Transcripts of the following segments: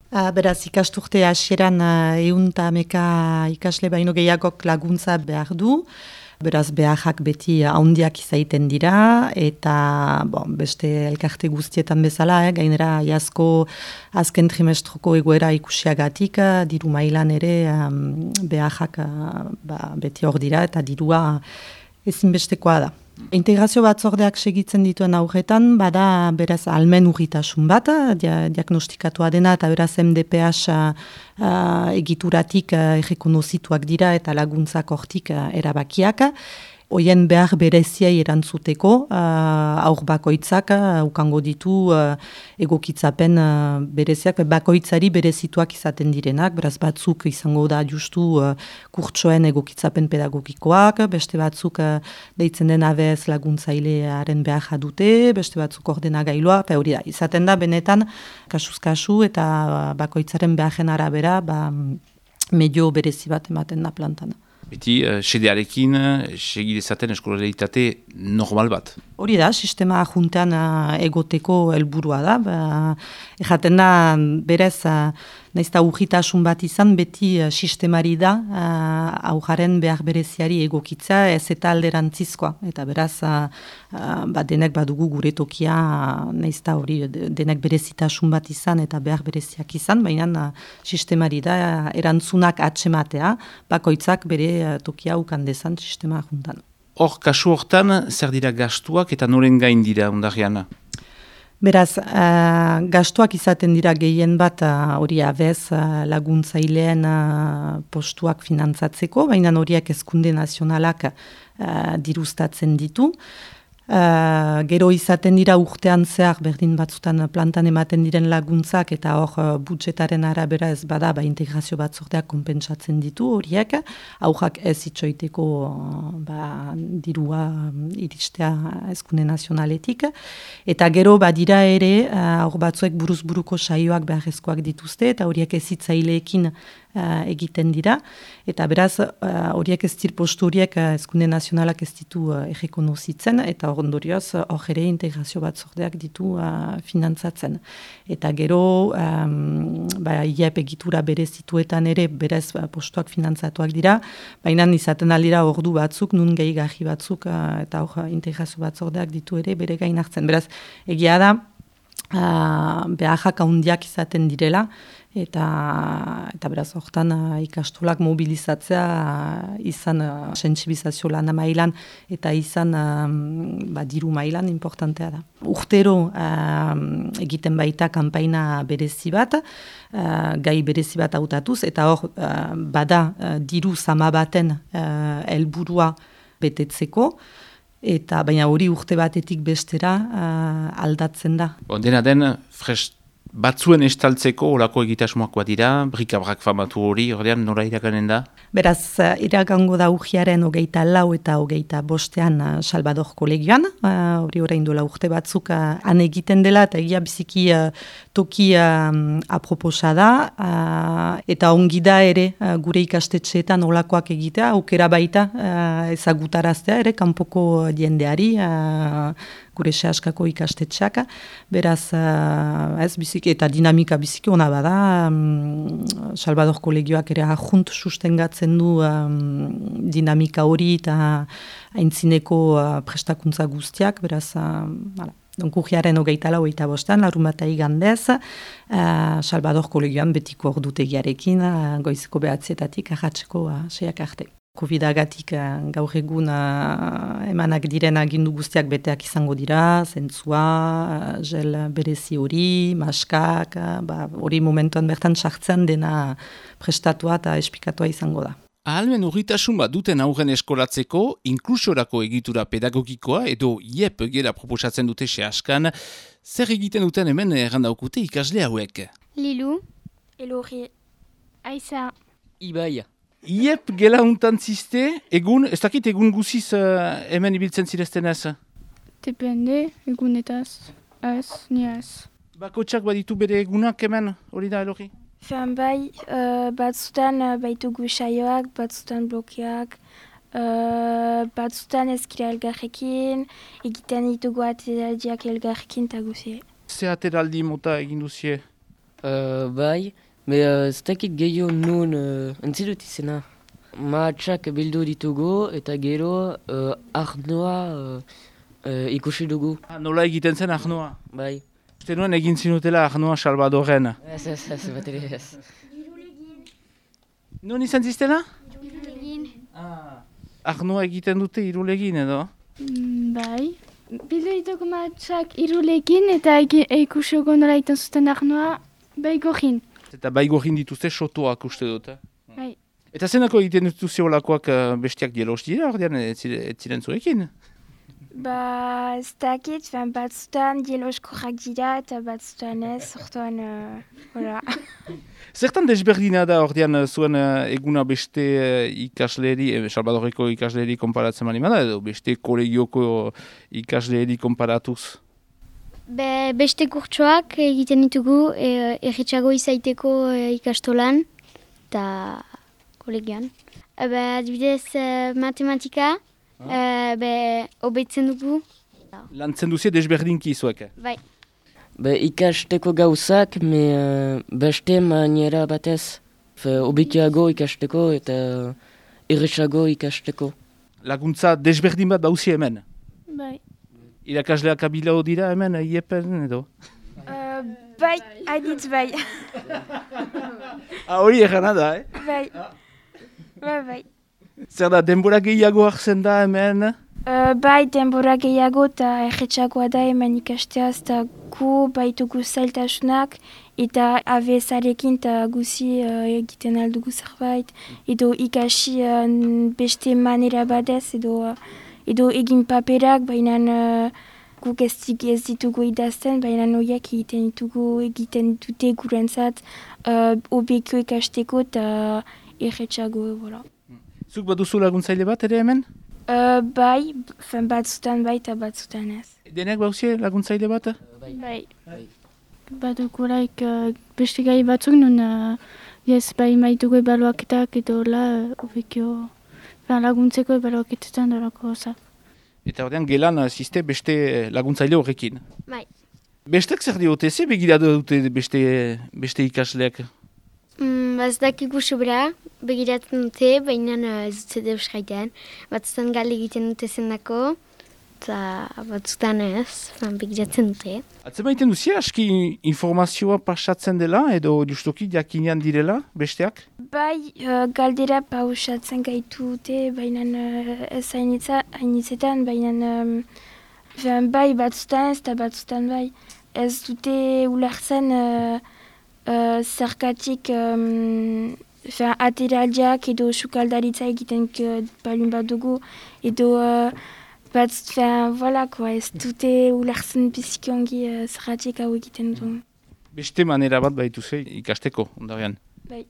Beraz, ikasturte hasieran 100 ikasle baino gehiagok laguntza behar du. Beraz, beharrak beti handiak izaiten dira, eta beste elkarte guztietan bezala, gainera iazko azken trimestroko egoera ikusiagatik, diru mailan ere beharrak beti hor dira, eta dirua ezinbestekoa da. Integrazio batzordeak segitzen dituen aurretan, bada beraz almen urritasun bat, diagnostikatua dena, eta beraz MDPH egituratik errekonozituak dira eta laguntzak hortik erabakiak. Hoien behar bereziai erantzuteko, aur bakoitzak ukango ditu egokitzapen bereziak, bakoitzari berezituak izaten direnak, beraz batzuk izango da justu kurtsoen egokitzapen pedagogikoak, beste batzuk deitzen den ABS laguntzailearen behar dute, beste batzuk ordenagailua, hori da, izaten da benetan kasuz-kasu eta bakoitzaren beharren arabera medio berezi bat ematen da plantan. Beti, sedearekin, segidezaten eskolaritate normal bat. Hori da, sistema juntean egoteko helburua da. Ejaten da, berez, naizta urritasun bat izan, beti sistemari da aujaren behar bereziari egokitza ez eta alderantzizkoa. Eta beraz, denek badugu gure tokia, naizta hori denek berezitasun bat izan eta behar bereziak izan, baina sistemari da erantzunak atsematea, bakoitzak bere tokia ukandezan sistema juntan. Hor, kasu hortan, zer dira gastuak eta noren gain dira ondarriana? Beraz, gastuak izaten dira gehien bat hori abez laguntzaileen postuak finantzatzeko, baina horiek hezkunde nazionalak dirustatzen ditu. Gero izaten dira urtean zehar berdin batzutan plantan ematen diren laguntzak eta hor budjetaren arabera ez bada integrazio batzordeak konpentsatzen ditu horiek, aujak ez itxoiteko dirua iristea hezkunde nazionaletik. Eta gero badira ere hor batzuek buruz-buruko saioak beharrezkoak dituzte eta horiek ezitzaileekin egiten dira, eta beraz horiek ez dir postu horiek hezkunde nazionalak ez ditu errekonozitzen, eta ondorioz hor ere integrazio batzordeak ditu finantzatzen. Eta gero IEP egitura berezituetan ere berez postuak finantzatuak dira, baina izaten aldira ordu batzuk, nun gehigarri batzuk, eta hor integrazio batzordeak ditu ere bere gain hartzen. Beraz, egia da, beharrak handiak izaten direla, eta beraz hortan ikastolak mobilizatzea izan sentsibilizazio lana mailan eta izan diru mailan importantea da. Urtero egiten baita kanpaina berezi bat, gai berezi bat hautatuz, eta hor bada diru zama baten helburua betetzeko, eta baina hori urte batetik bestera aldatzen da. Dena den, batzuen estaltzeko olako egitasmoak bat dira, brikabrak famatu hori, ordean nora iraganen da? Beraz, iragango da urriaren 24 eta 25 Salvador kolegioan, hori orain dola urte batzuk han egiten dela, eta egia biziki toki aproposa da, eta ongi da ere gure ikastetxeetan olakoak egitea, aukera baita ezagutaraztea ere, kanpoko jendeari, gure sehaskako ikastetxeak, beraz ez biziki eta dinamika biziki ona bada, Salvador kolegioak ere ajunt sustengatzen du dinamika hori eta aintzineko prestakuntza guztiak, beraz, urriaren 24 larun bat igandez, Salvador kolegioan betiko ordutegiarekin, goizeko 9:00 arratseko 6:00 arte. Covid-agatik gaur egun emanak diren agindu guztiak beteak izango dira, zentzua, gel berezi hori, maskak, hori momentuan bertan sartzen dena prestatua eta espikatua izango da. Ahalmen urritasun bat duten aurren eskolatzeko, inklusiorako egitura pedagogikoa edo IEP gela proposatzen dute sehaskan, zer egiten duten hemen errandaukute ikasle hauek? Lilu, Elorri, Aiza, Ibai. IEP gela untan ziste, egun, ez dakit egun guziz hemen ibiltzen zirezten ez? Depende, egunetaz, ez, ni ez. Bakotxak baditu bere egunak hemen, hori da Elorri? Fean bai, batzutan baitugu saioak, batzutan blokeak, batzutan ezkira elgarrekin, egiten ditugu ateraldiak elgarrekin eta guzie. Ze ateraldi mota egin duzie? Bai, ez dakit gehiago nun entzidut izena. Mahatsak bildu ditugu eta gero arnoa ikusi dugu. Nola egiten zen arnoa? Bai. Uste nuen egin zinutela arnoa Salvadorren. Ez, bat ere ez. Non izan ziztela? Irulegin. Arnoa egiten dute Irulegin edo? Bai. Bildu ditugu mahatsak Irulegin eta ikusiko nola iten zuten arnoa Baigorrin. Eta Baigorrin dituzte sotoak uste dut. Bai. Eta zenako egiten dituzte olakoak bestiak dielos dira, ordean ez ziren zurekin? Ez dakit, batzutan dieloskorrak dira eta batzutan ez, orduan, hola. Zertan desberdina da ordean zuen eguna beste ikasleri, Salvadorreko ikasleri konparatzen mani bada, edo beste kolegioko ikasleri konparatuz? Beste kurtsoak egiten ditugu erretxago izaiteko ikastolan eta kolegian. Adibidez matematika, hobetzen dugu. Lantzen duzie desberdinki zuek? Bai. Ikasteko gauzak, beste maniera batez. Hobekiago ikasteko eta erretxago ikasteko. Laguntza desberdin bat bauzi hemen? Bai. Irakasleak abilao dira hemen, iepen edo? Bai, hainitz bai. Hori egana da, Bai. Bai. Zer da, denbora gehiago hartzen da hemen? Bai, denbora gehiago eta erretxagoa da hemen ikasteaz eta gu baitugu zailtasunak eta abezarekin eta guzi egiten aldugu zerbait edo ikasi beste manera badez edo egin paperak, baina guk ez ditugu idazten, baina horiek egiten dute gurentzat hobekio ikasteko eta erretxago, voilà. Zuk baduzu laguntzaile bat ere hemen? Bai, batzutan bai eta batzutan ez. Denek bauzie laguntzaile bat? Bai. Badukulaik beste gai batzuk nun bai maitugu ebaluaketak edo hobekio laguntzeko ebaluaketetan dorako zak. Eta ordean gelan ziste beste laguntzaile horrekin? Bai. Bestek zer diote, ze begiratu dute beste ikasleak? Ez dakigu sobera, begiratzen dute, baina ez dute deus gaiten. Batzutan gali egiten dute zendako, eta batzutan ez, begiratzen dute. Atzemaiten duzia, aski informazioa pasatzen dela, edo justoki jakinean direla, besteak? Bai, galdera pausatzen gaitu dute, baina ez hainitzetan, baina bai batzutan ez eta batzutan bai. Ez dute ulertzen zergatik ateraldiak edo sukaldaritza egiten balun bat dugu, edo ez dute ulertzen bizikiongi zergatik hau egiten du. Beste manera bat baituze ikasteko, ondarean. Bai.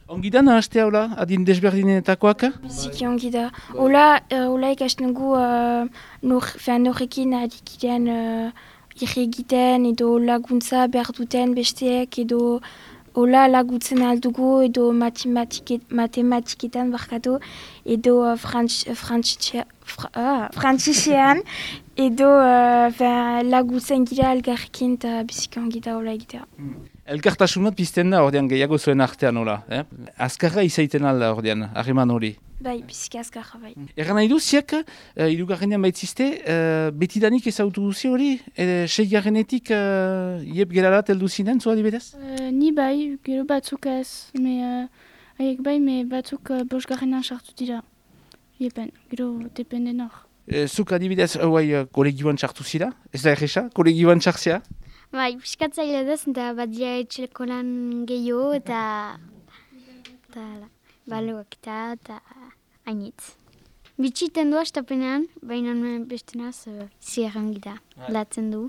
Ongi da nahazte haula, adin desberdinetakoak? Bizikiongi da. Ola ikasten dugu norrekin adikidean egiten edo laguntza behar duten besteek edo hola laguntzen aldugu edo matematiketan barkatu edo frantzisean edo laguntzen gira elgarrekin eta bizikiongi da hola egitea. Elkartasunat pizten da ordean gehiago zuen artean hola, azkarra izaiten alda ordean, harreman hori. Bai, biziki azkarra bai. Erran nahi du, ziak, hirugarrenean baitzizte, betidanik ezautu duzi hori? Seigarrenetik iep gerarat heldu zinen, zua dibedez? Ni bai, gero batzuk ez, haiek bai, batzuk bosgarrenan sartu dira. Iepen, gero dependen hor. Zuk adibidez, kolegioan sartu zira? Ez da erresa, kolegioan sartzea? Bai, piskatzaile duz, eta bat dira etxeleko lan gehiago, eta baloak eta hainitz. Bitxiten du astapenean, baina bestenaz zierrangi da, latzen du.